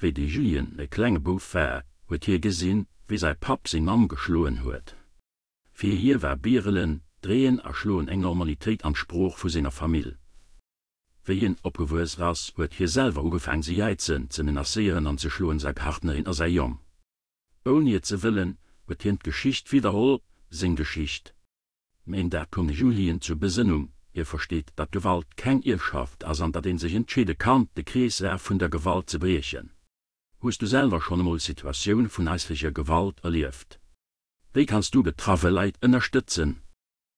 Wéi de Julien e klenge Bouf war, huet hie gesinn, wéi säi Papp seng Mamm geschloen huet. Fir hie war Bierelen, Dreeën a Schloen eng Normalitéit an d'Sprooch vu senger Famill. Wéi hien opgewuess ass, huet hie selwer ugefaang ze jäizen, ze menacéieren an ze schloen, säi Partnerin a säi Jong. Ouni et ze wëllen, huet hien d'Geschicht widderholl, seng Geschicht. Mä een Dag koum de Julien zur Besënnung, hie versteet, datt Gewalt keng Ierfschaft ass an datt een sech entscheede kann, de Kreeslaf vun der Gewalt ze briechen. Hues du selwer schonn emol Situatioune vun haislecher Gewalt erlieft? Wéi kanns du betraffe Leit ënnerstëtzen?